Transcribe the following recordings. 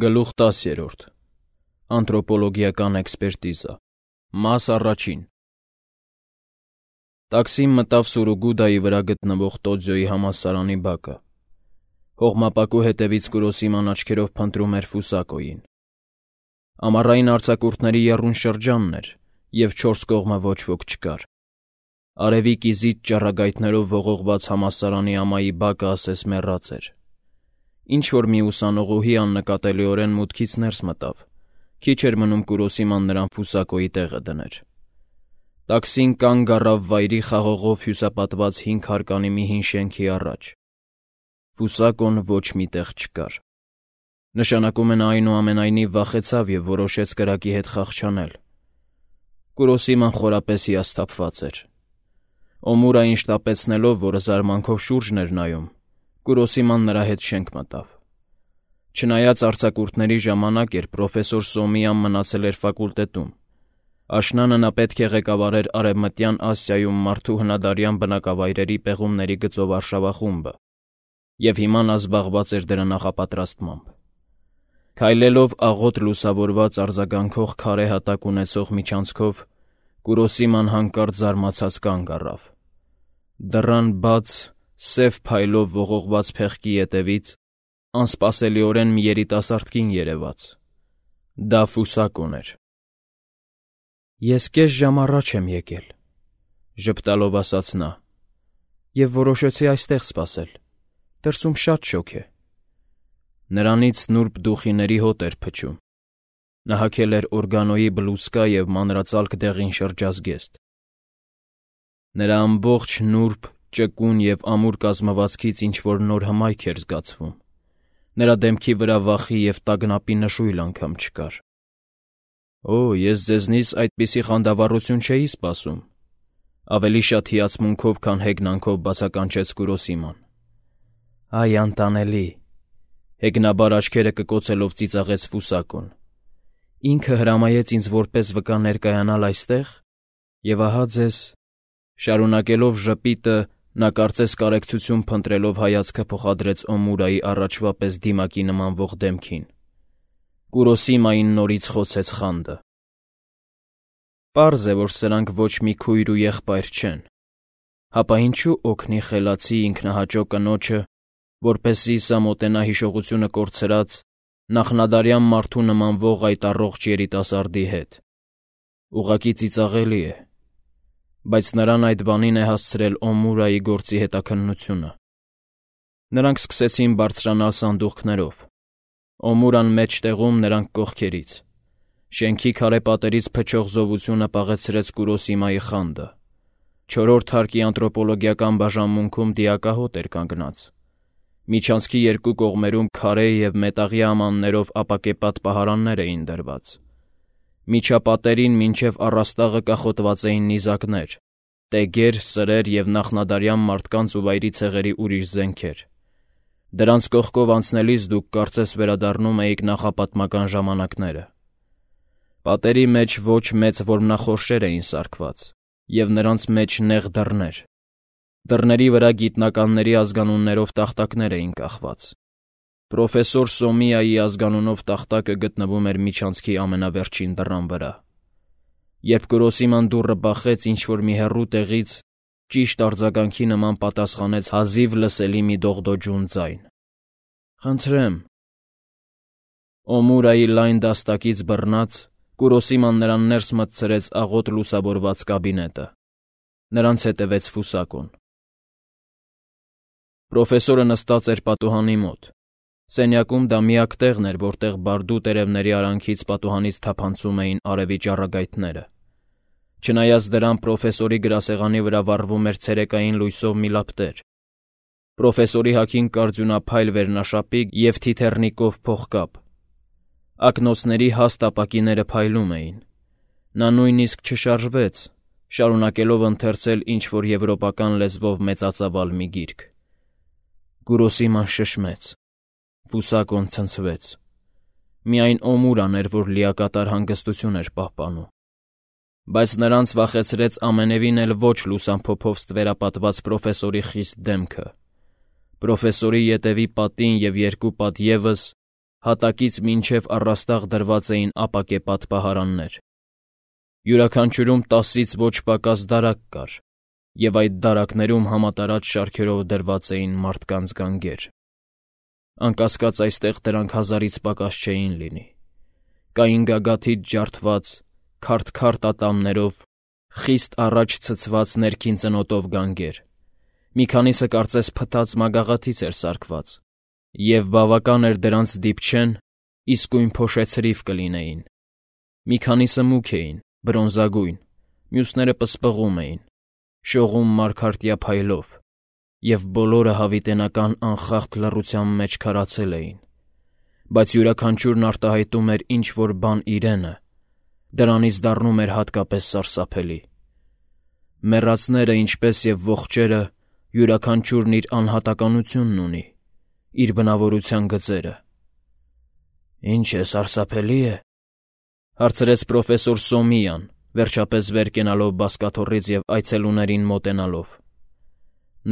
Գլուխ 10. Անթրոպոլոգիական էքսպերտիզա Մաս առաջին Տաքսին մտավ Սուրուգուդայի վրա գտնվող Տոձյոյի համալսարանի բակը։ Հողմապակու հետևից Կուրոսիման աչքերով փնտրում էր Ֆուսակոյին։ Ամառային արձակուրդների եռուն շրջանն էր, և չորս կողմը ոչ ոք չկար։ Արևի կիզիչ ճառագայթներով ողողված համալսարանի ամայի բակը ասես մեռած էր։ Ինչ-որ մի ուսանողուհի աննկատելիորեն մուտքից ներս մտավ, քիչ էր մնում Կուրոսիման նրան Ֆուսակոյի տեղը դներ։ Տաքսին կանգ առավ վայրի խաղողով հյուսապատված 5 հարկանի մի հին շենքի առաջ։ Ֆուսակոն ոչ մի տեղ չկար։ Նշանակում է նա այնուամենայնիվ վախեցավ և որոշեց կրակի հետ խաղ չանել։ Կուրոսիման խորապես հիասթափված էր։ Օմուրային շտապեցնելով, որը զարմանքով շուրջն էր նայում, Կուրոսիման նրա հետ շենք մտավ։ Չնայած արձակուրդների ժամանակ էր, պրոֆեսոր Սոմիան մնացել էր ֆակուլտետում։ Աշնանը նա պետք է ղեկավարեր Արևմտյան Ասիայում մարդու հնադարյան բնակավայրերի պեղումների գծով արշավախումբը, և հիմա նա զբաղված էր դրա նախապատրաստմամբ։ Քայլելով աղոտ լուսավորված արձագանքող քարե հատակ ունեցող միջանցքով, Կուրոսիման հանկարծ զարմացած կանգ առավ։ Դռան բաց, սև փայլով ողողված փեղկի ետևից անսպասելիորեն մի երիտասարդ կին երևաց։ Դա Ֆուսակոն էր։ «Ես կես ժամ առաջ եմ եկել», ժպտալով ասաց նա, «և որոշեցի այստեղ սպասել։ Դրսում շատ շոգ է»։ Նրանից նուրբ դուխիների հոտ էր փչում։ Նա հագել էր օրգանոյի բլուզկա և մանրածալք դեղին շրջազգեստ։ Նրա ամբողջ նուրբ, ճկուն և ամուր կազմվածքից ինչ-որ նոր հմայք էր զգացվում։ Նրա դեմքի վրա վախի և տագնապի նշույլ անգամ չկար։ «Օ, ես ձեզնից այդպիսի խանդավառություն չէի սպասում», ավելի շատ հիացմունքով, քան հեգնանքով բացականչեց Կուրոսիման։ «Այ անտանելի», հեգնաբար աչքերը կկոցելով ծիծաղեց Ֆուսակոն։ «Ինքը հրամայեց ինձ որպես վկա ներկայանալ այստեղ, և ահա ձեզ…» Շարունակելով ժպիտը, նա կարծես կարեկցություն փնտրելով հայացքը փոխադրեց Օմուրայի առաջվա պես դիմակի նմանվող դեմքին։ Կուրոսիմային նորից խոցեց խանդը։ Պարզ է, որ սրանք ոչ մի քույր ու եղբայր չեն։ Հապա ինչու օգնի խելացի ինքնահաճո կնոջը, որպեսզի սա մոտենա հիշողությունը կորցրած, նախնադարյան մարդու նմանվող այդ առողջ երիտասարդի հետ։ Ուղղակի ծիծաղելի է։ Բայց նրան այդ բանին է հասցրել Օմուրայի գործի հետաքննությունը։ Նրանք սկսեցին բարձրանալ սանդուղքներով։ Օմուրան մեջտեղում, նրանք կողքերից։ Շենքի քարե պատերից փչող զովությունը պաղեցրեց Կուրոսիմայի խանդը։ Չորրորդ հարկի անթրոպոլոգիական բաժանմունքում դիակահոտ էր կանգնած։ Միջանցքի երկու կողմերում քարե և մետաղյա ամաններով ապակեպատ պահարաններ էին դրված։ Միջապատերին մինչև առաստաղը կախոտված էին նիզակներ, տեգեր, սրեր և նախնադարյան մարդկանց ու վայրի ցեղերի ուրիշ զենքեր։ Դրանց կողքով անցնելիս դուք կարծես վերադառնում էիք նախապատմական ժամանակները։ Պատերի մեջ ոչ մեծ որմնախորշեր էին սարքված, և նրանց մեջ նեղ դռներ։ Դռների վրա գիտնականների ազգանուններով տախտակներ էին կախված։ Պրոֆեսոր Սոմիայի ազգանունով տախտակը գտնվում էր միջանցքի ամենավերջին դռան վրա։ Երբ Կուրոսիման դուռը բախեց ինչ-որ մի հեռու տեղից, ճիշտ արձագանքի նման պատասխանեց հազիվ լսելի մի դողդոջուն ձայն։ «Խնդրեմ»։ Օմուրայի լայն դաստակից բռնած, Կուրոսիման նրան ներս մտցրեց աղոտ լուսավորված կաբինետը։ Նրանց հետևեց Ֆուսակոն։ Պրոֆեսորը նստած էր պատուհանի մոտ։ Սենյակում դա միակ տեղն էր, որտեղ բարդու տերևների արանքից պատուհանից թափանցում էին արևի ճառագայթները։ Չնայած դրան, պրոֆեսորի գրասեղանի վրա վառվում էր ցերեկային լույսով մի լապտեր։ Պրոֆեսորի հագին կարծյունափայլ վերնաշապիկ և թիթեռնիկով փողկապ։ Ակնոցների հաստ ապակիները փայլում էին։ Նա նույնիսկ չշարժվեց, շարունակելով ընթերցել ինչ-որ եվրոպական լեզվով մեծածավալ մի գիրք։ Կուրոսիման շշմեց։ Ֆուսակոն ցնցվեց։ Միայն Օմուրան էր, որ լիակատար հանգստություն էր պահպանում։ Բայց նրանց վախեցրեց ամենևին էլ ոչ լուսամփոփով ստվերապատված պրոֆեսորի խիստ դեմքը։ Պրոֆեսորի ետևի պատին և երկու պատ ևս Հատակից մինչև առաստաղ դրված էին ապակե պատպահարաններ։ Յուրաքանչյուրում 10-ից ոչ պակաս դարակ կար, և այդ դարակներում համատարած շարքերով դրված էին մարդկանց գանգեր։ Անկասկած այստեղ դրանք 1000-ից պակաս չէին լինի։ Կային գագաթից ջարդված, քարտ-քարտ ատամներով, խիստ առաջ ցցված ներքին ծնոտով գանգեր։ Մի քանիսը կարծես փտած մագաղաթից էր սարքված, և բավական էր դրանց դիպչեն, իսկույն փոշեցրիվ կլինեին։ Մի քանիսը մուգ էին, բրոնզագույն, մյուսները պսպղում էին, շողում մարգարտյա փայլով, և բոլորը հավիտենական անխախտ լռության մեջ քարացել էին, բայց յուրաքանչյուրն արտահայտում էր ինչ-որ բան իրենը, դրանից դառնում էր հատկապես սարսափելի։ Մեռածները, ինչպես և ողջերը, յուրաքանչյուրն իր անհատականությունն ունի, իր բնավորության գծերը։ «Ինչ է, սարսափելի է», հարցրեց պրոֆեսոր Սոմիան, վերջապես վեր կենալով բազկաթոռից և այցելուներին մոտենալով։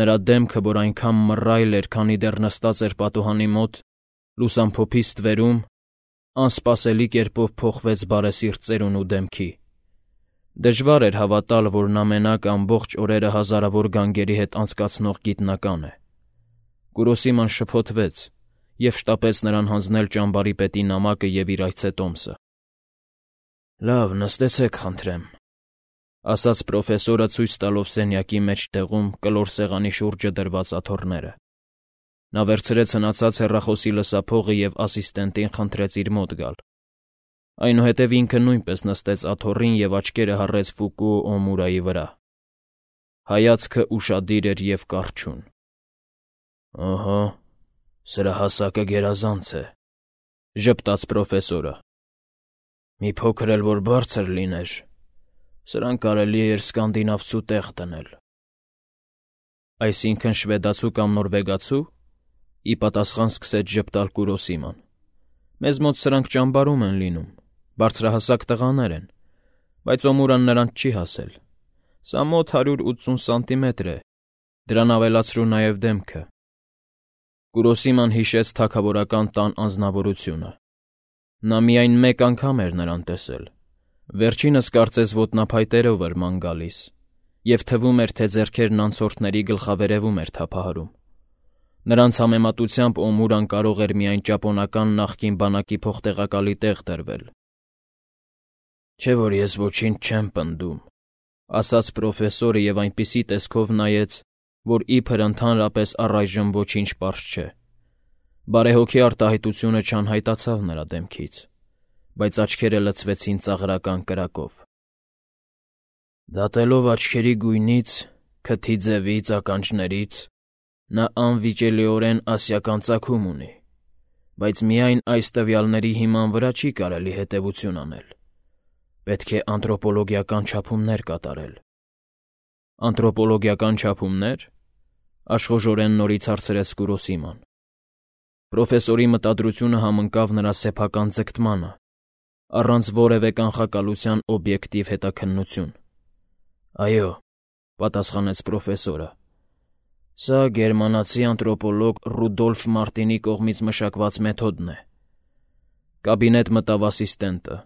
Նրա դեմքը, որ այնքան մռայլ էր, քանի դեռ նստած էր պատուհանի մոտ, լուսամփոփի ստվերում, անսպասելի կերպով փոխվեց բարեսիրտ ծերունու դեմքի։ Դժվար էր հավատալ, որ նա մենակ ամբողջ օրերը հազարավոր գանգերի հետ անցկացնող գիտնական է։ Կուրոսիման շփոթվեց և շտապեց նրան հանձնել ճամբարի պետի նամակը և իր այցետոմսը։ «Լավ, նստեցեք, խնդրեմ», ասաց պրոֆեսորը, ցույց տալով սենյակի մեջտեղում կլոր սեղանի շուրջը դրված աթոռները։ Նա վերցրեց հնացած հեռախոսի լսափողը և ասիստենտին խնդրեց իր մոտ գալ։ Այնուհետև ինքը նույնպես նստեց աթոռին և աչքերը հառեց Ֆուկուո Օմուրայի վրա։ Հայացքը ուշադիր էր և կառչուն։ «Ըհը, սրա հասակը գերազանց է», ժպտաց պրոֆեսորը։ «Մի փոքր էլ որ բարձր լիներ, սրան կարելի էր սկանդինավցու տեղ դնել»։ «Այսինքն շվեդացու կամ նորվեգացու», ի պատասխան սկսեց ժպտալ Կուրոսիման։ «Մեզ մոտ սրանք ճամբարում են լինում, բարձրահասակ տղաներ են, բայց Օմուրան նրանց չի հասել։ Սա մոտ 180 սանտիմետր է, դրան ավելացրու նաև դեմքը»։ Կուրոսիման հիշեց թագավորական տան անձնավորությունը։ Նա միայն մեկ անգամ էր նրան տեսել։ Վերջինս կարծես ոտնափայտերով էր ման գալիս, և թվում էր, թե ձեռքերն անցորդների գլխավերևում էր թափահարում։ Նրանց համեմատությամբ Օմուրան կարող էր միայն ճապոնական նախկին բանակի փոխտեղակալի տեղ դրվել։ «Չէ՞ որ ես ոչինչ չեմ պնդում», ասաց պրոֆեսորը և այնպիսի տեսքով նայեց, որ իբր ընդհանրապես առայժմ ոչինչ պարզ չէ։ Բարեհոգի արտահայտությունը չանհայտացավ նրա դեմքից, բայց աչքերը լցվեցին ծաղրական կրակով։ «Դատելով աչքերի գույնից, քթի ձևից, ականջներից, նա անվիճելիորեն ասիական ծագում ունի, բայց միայն այս տվյալների հիման վրա չի կարելի հետևություն անել։ Պետք է անթրոպոլոգիական չափումներ կատարել»։ «Անթրոպոլոգիական չափումնե՞ր», աշխուժորեն նորից հարցրեց Կուրոսիման։ Պրոֆեսորի մտադրությունը համընկավ նրա սեփական ձգտմանը, առանց որևէ կանխակալության օբյեկտիվ հետաքննություն։ «Այո», պատասխանեց պրոֆեսորը, «սա գերմանացի անթրոպոլոգ Ռուդոլֆ Մարտինի կողմից մշակված մեթոդն է»։ Կաբինետ մտավ ասիստենտը։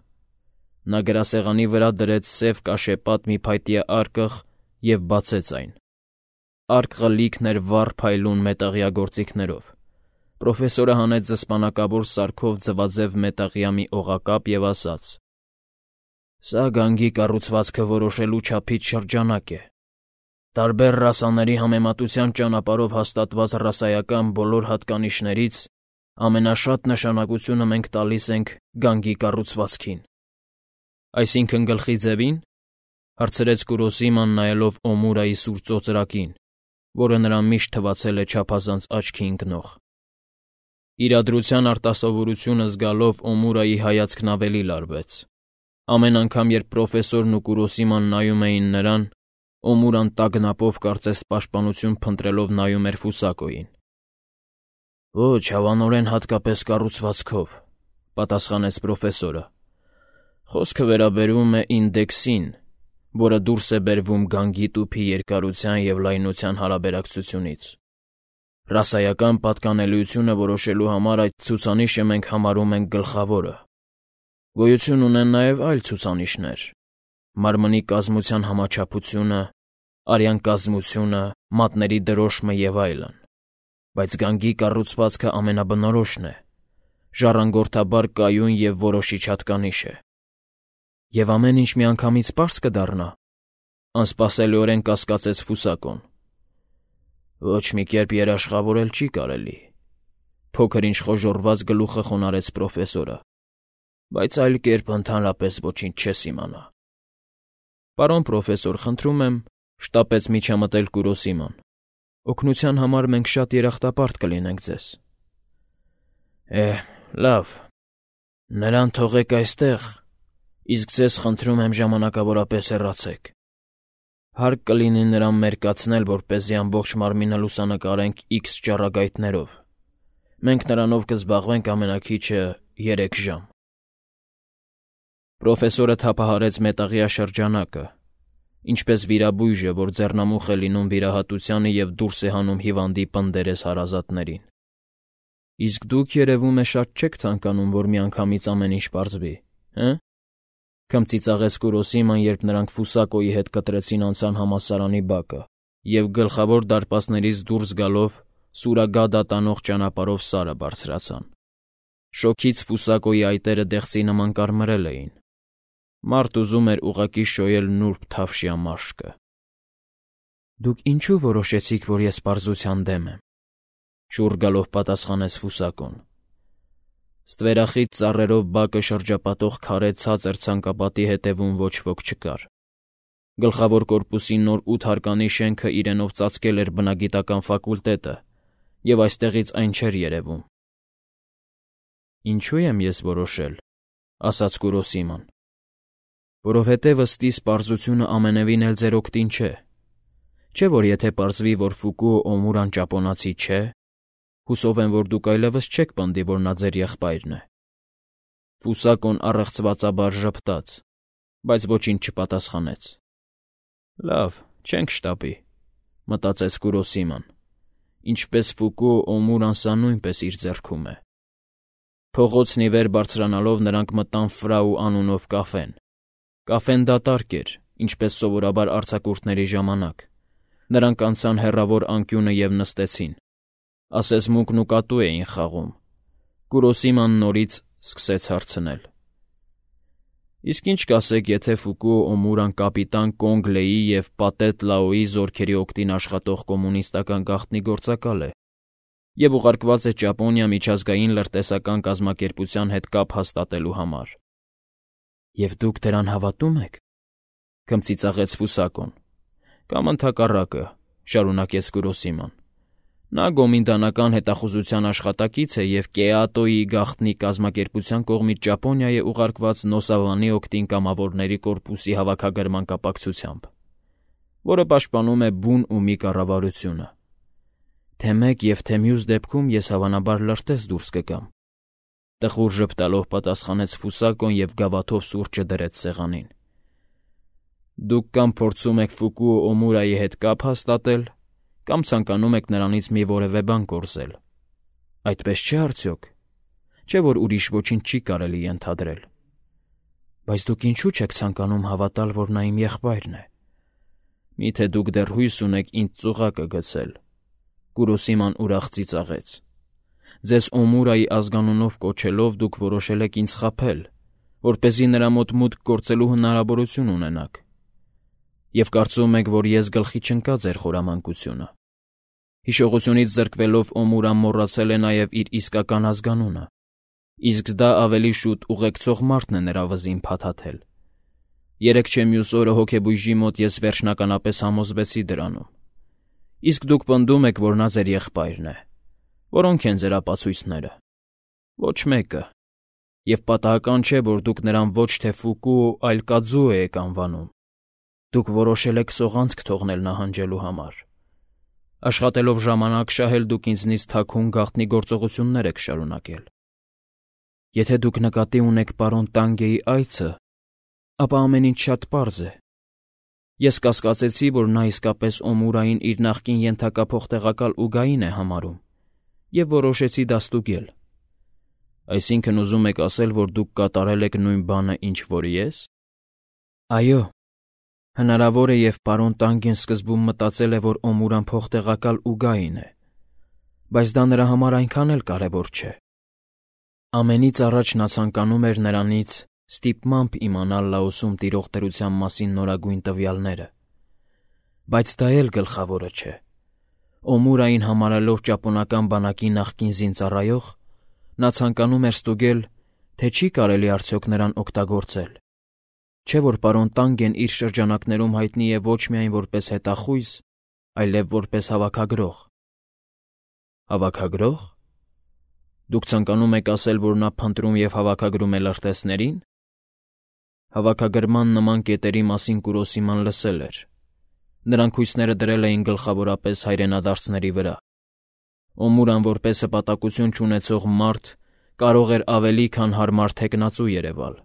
Նա գրասեղանի վրա դրեց սև կաշեպատ մի փայտյա արկղ և բացեց այն։ Արկղը լիքն էր վառ փայլուն մետաղյա գործիքներով։ Պրոֆեսորը հանեց զսպանակավոր սարքով ձվաձև մետաղյա մի օղակապ և ասաց. «Սա գանգի կառուցվածքը որոշելու չափից շրջանակ է։ Տարբեր ռասաների համեմատության ճանապարհով հաստատված ռասայական բոլոր հատկանիշներից ամենաշատ նշանակությունը մենք տալիս ենք գանգի կառուցվածքին»։ «Այսինքն գլխի ձևի՞ն», հարցրեց Կուրոսիման, նայելով Օմուրայի սուր ծոծրակին, որը նրան միշտ թվացել է չափազանց աչքի ընկնող։ Իրադրության արտասովորությունը զգալով Օմուրայի հայացքն ավելի լարվեց։ Ամեն անգամ, երբ պրոֆեսորն ու Կուրոսիման նայում էին նրան, Օմուրան տագնապով կարծես պաշտպանություն փնտրելով նայում էր Ֆուսակոյին։ «Ոչ, հավանորեն հատկապես կառուցվածքով», պատասխանեց պրոֆեսորը։ «Խոսքը վերաբերում է ինդեքսին, որը դուրս է բերվում գանգի տուփի երկարության և լայնության հարաբերակցությունից։ Ռասայական պատկանելիությունը որոշելու համար այդ ցուցանիշը մենք համարում ենք գլխավորը։ Գոյություն ունեն նաև այլ ցուցանիշներ. մարմնի կազմության համաչափությունը, արյան կազմությունը, մատների դրոշմը և այլն։ Բայց գանգի կառուցվածքը ամենաբնորոշն է, ժառանգորդաբար կայուն և որոշիչ հատկանիշ է։ Եվ ամեն ինչ միանգամից պարզ կդառնա, անսպասելիորեն կասկածեց Ֆուսակոն։ Ոչ մի կերպ երաշխավորել չի կարելի, փոքր-ինչ խոժոռված գլուխը խոնարհեց պրոֆեսորը, բայց այլ կերպ ընդհանրապես ոչինչ չես իմանա։ Պարոն պրոֆեսոր, խնդրում եմ, շտապեց միջամտել Կուրոսիման։ Օգնության համար մենք շատ երախտապարտ կլինենք ձեզ։ Լավ, նրան թողեք այստեղ, իսկ ձեզ խնդրում եմ ժամանակավորապես հեռացեք։ Հարկ կլինի նրան մերկացնել, որպեսզի ամբողջ մարմինը լուսանկարենք X ճառագայթներով։ Մենք նրանով կզբաղվենք ամենաքիչը 3 ժամ։ Պրոֆեսորը թափահարեց մետաղյա շրջանակը, ինչպես վիրաբույժը, որ ձեռնամուխ է լինում վիրահատությանը և դուրս է հանում հիվանդի պնդերես հարազատներին։ Իսկ դուք, երևում է, շատ չեք ցանկանում, որ միանգամից ամեն ինչ պարզվի, հը՞։ Քմծիծաղեց Կուրոսիման, երբ նրանք Ֆուսակոյի հետ կտրեցին անցան համալսարանի բակը և գլխավոր դարպասներից դուրս գալով Սուրագադա տանող ճանապարհով Սարը բարձրացան։ Շոգից Ֆուսակոյի այտերը դեղցի նման կարմրել էին։ Մարդ ուզում էր ուղղակի շոյել նուրբ թավշյա մաշկը։ Դուք ինչու որոշեցիք, որ ես պարզության դեմ եմ, շուռ գալով պատասխանեց Ֆուսակոն։ Ստվերախիտ ծառերով բակը շրջապատող քարե ցածր ցանկապատի հետևում ոչ ոք չկար։ Գլխավոր կորպուսի նոր 8 հարկանի շենքը իրենով ծածկել էր բնագիտական ֆակուլտետը, և այստեղից այն չէր երևում։ Ինչու եմ ես որոշել, ասաց Կուրոսիման։ Որովհետև ըստիս պարզությունը ամենևին էլ ձեր օգտին չէ։ Չէ՞ որ եթե պարզվի, որ Ֆուկուո Օմուրան ճապոնացի չէ, հուսով եմ, որ դուք այլևս չեք պնդի, որ նա ձեր եղբայրն է։ Ֆուսակոն առեղծվածաբար ժպտաց, բայց ոչինչ չպատասխանեց։ Լավ, չենք շտապի, մտածեց Կուրոսիման, ինչպես Ֆուկուո Օմուրան սա նույնպես իր ձեռքում է։ Փողոցն ի վեր բարձրանալով նրանք մտան Ֆրաու անունով կաֆեն։ Կաֆեն դատարկ էր, ինչպես սովորաբար արձակուրդների ժամանակ։ Նրանք անցան հեռավոր անկյունը և նստեցին։ Ասես մուկն ու կատու էին խաղում։ Կուրոսիման նորից սկսեց հարցնել. Իսկ ինչ կասեք, եթե Ֆուկուո Օմուրան կապիտան Կոնգ Լեի և Պատետ Լաոյի զորքերի օգտին աշխատող կոմունիստական գաղտնի գործակալ է և ուղարկված է Ճապոնիա միջազգային լրտեսական կազմակերպության հետ կապ հաստատելու համար։ Եվ դուք դրան հավատում եք, քմծիծաղեց Ֆուսակոն։ Կամ ընդհակառակը, շարունակեց Կուրոսիման։ Նա գոմինդանական հետախուզության աշխատակից է և Կեատոյի գաղտնի կազմակերպության կողմից Ճապոնիա է ուղարկված Նոսավանի օգտին կամավորների կորպուսի հավաքագրման կապակցությամբ, որը պաշտպանում է բուն ու մի կառավարությունը։ Թե մեկ և թե մյուս դեպքում ես հավանաբար լրտես դուրս կգամ։ Տխուր ժպտալով պատասխանեց Ֆուսակոն և գավաթով սուրճը դրեց սեղանին։ Դուք կամ փորձում եք Ֆուկուո Օմուրայի հետ կապ հաստատել, կամ ցանկանում եք նրանից մի որևէ բան կորզել։ Այդպես չէ՞ արդյոք։ Չէ՞ որ ուրիշ ոչինչ չի կարելի ենթադրել։ Բայց դուք ինչու՞ չեք ցանկանում հավատալ, որ նա իմ եղբայրն է։ Միթե դուք դեռ հույս ունեք ինձ ծուղակը գցել։ Կուրոսիման ուրախ ծիծաղեց։ Ձեզ Օմուրայի ազգանունով կոչելով դուք որոշել եք ինձ խաբել, որպեսզի նրա մոտ մուտք գործելու հնարավորություն ունենաք։ Եվ կարծում եք, որ ես գլխի չընկա ձեր խորամանկությունը։ Հիշողությունից զրկվելով Օմուրան մոռացել է նաև իր իսկական ազգանունը, իսկ դա ավելի շուտ ուղեկցող մարդն է նրա վզին փաթաթել։ Երեկ չէ մյուս օրը հոգեբույժի մոտ ես վերջնականապես համոզվեցի դրանում։ Իսկ դուք պնդում եք, որ նա ձեր եղբայրն է։ Որոնք են ձեր ապացույցները։ Ոչ մեկը։ Եվ պատահական չէ, որ դուք նրան ոչ թե Ֆուկուո, այլ Կաձուո եք անվանում։ Դուք որոշել եք սողանցք թողնել նահանջելու համար։ Աշխատելով ժամանակ շահել դուք ինձնից թաքուն գաղտնի գործողություններ եք շարունակել։ Եթե դուք նկատի ունեք պարոն Տանգեի այցը, ապա ամեն ինչ շատ պարզ է։ Ես կասկածեցի, որ նա իսկապես Օմուրային իր նախկին ենթակա փոխտեղակալ Ուգային է համարում, և որոշեցի դա ստուգել։ Այսինքն ուզում եք ասել, որ դուք կատարել եք նույն բանը, ինչ որ ես։ Այո, հնարավոր է, և պարոն Տանգեն սկզբում մտածել է, որ Օմուրան փոխտեղակալ Ուգային է, բայց դա նրա համար այնքան էլ կարևոր չէ։ Ամենից առաջ նա ցանկանում էր նրանից ստիպմամբ իմանալ Լաոսում տիրող դրության մասին նորագույն տվյալները։ Բայց դա էլ գլխավորը չէ։ Օմուրային համարելով ճապոնական բանակի նախկին զինծառայող, նա ցանկանում էր ստուգել, թե չի կարելի արդյոք նրան օգտագործել։ Չէ՞ որ պարոն Տանգեն իր շրջանակներում հայտնի է ոչ միայն որպես հետախույզ, այլև որպես հավաքագրող։ Հավաքագրող։ Դուք ցանկանում եք ասել, որ նա փնտրում և հավաքագրում է լրտեսներին։ Հավաքագրման նման կետերի մասին Կուրոսիման լսել էր։ Նրանք հույսները դրել էին գլխավորապես հայրենադարձների վրա։ Օմուրան որպես հպատակություն չունեցող մարդ կարող էր ավելի քան հարմար թեկնածու երևալ,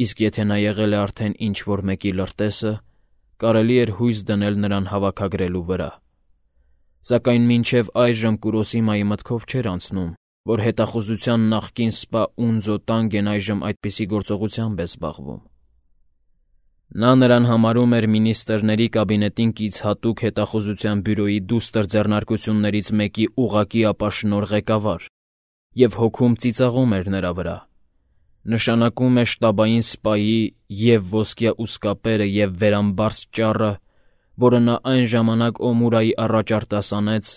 իսկ եթե նա եղել է արդեն ինչ-որ մեկի լրտեսը, կարելի էր հույս դնել նրան հավաքագրելու վրա։ Սակայն մինչև այժմ Կուրոսիմայի մտքով չէր անցնում, որ հետախուզության նախկին սպա Ունձո Տանգեն այժմ այդպիսի գործողությամբ է զբաղվում։ Նա նրան համարում էր մինիստրների կաբինետին կից հատուկ հետախուզության բյուրոյի դուստր ձեռնարկություններից մեկի ուղղակի ապաշնորհ ղեկավար և հոգում ծիծաղում էր նրա վրա։ Նշանակում է շտաբային սպայի և ոսկյա ուսկապերը և վերամբարձ ճառը, որը նա այն ժամանակ Օմուրայի առաջ արտասանեց,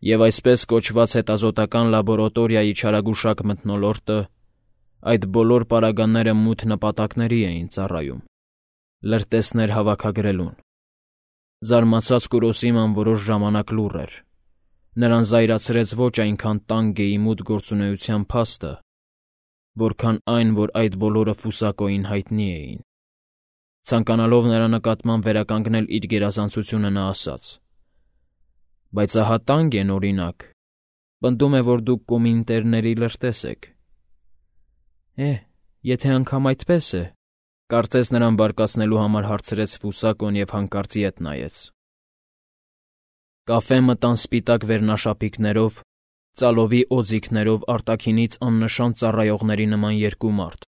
և այսպես կոչված հետազոտական լաբորատորիայի չարագուշակ մթնոլորտը, այդ բոլոր պարագաները մութ նպատակների էին ծառայում։ Լրտեսներ հավաքագրելուն։ Զարմացած Կուրոսիման որոշ ժամանակ լուռ էր։ Նրան զայրացրեց ոչ այնքան Տանգեի մութ գործունեության փաստը, որքան այն, որ այդ բոլորը Ֆուսակոյին հայտնի էին։ Ցանկանալով նրա նկատմամբ վերականգնել իր գերազանցությունը, նա ասաց. «Բայց ահա Տանգեն, օրինակ, պնդում է, որ դուք կոմինտերների լրտես եք»։ Եթե անգամ այդպես է, կարծես նրան բարկացնելու համար հարցրեց Ֆուսակոն և հանկարծ ետ նայեց։ Կաֆե մտան սպիտակ վերնաշապիկներով, ծալովի օձիքներով արտաքինից աննշան ծառայողների նման երկու մարդ։